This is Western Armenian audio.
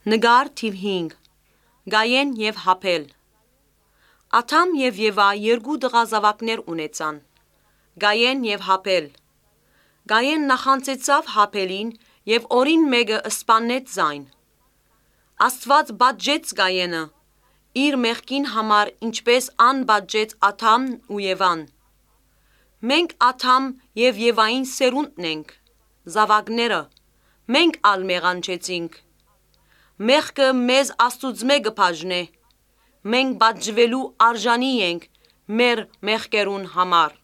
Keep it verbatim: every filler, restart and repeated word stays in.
Նկար թիւ հինգ։ Կայեն եւ Հաբէլ։ Ադամ եւ Եվա երկու տղայ զաւակներ ունեցան։ Կայեն եւ Հաբէլ։ Կայեն նախանձեցաւ Հաբէլին եւ օրին մէկը սպաննեց զայն։ Աստուած պատժեց Կայենը իր մեղքին համար, ինչպէս ան պատժեց Ադամն ու Եվան։ Մենք Ադամ եւ Եվային սերունդն ենք, զաւակները, մենք ալ մեղանչեցինք։ Մեղքը մեզ Աստուծմէ կը բաժնէ։ Մենք պատժուելու արժանի ենք մեր մեղքերուն համար։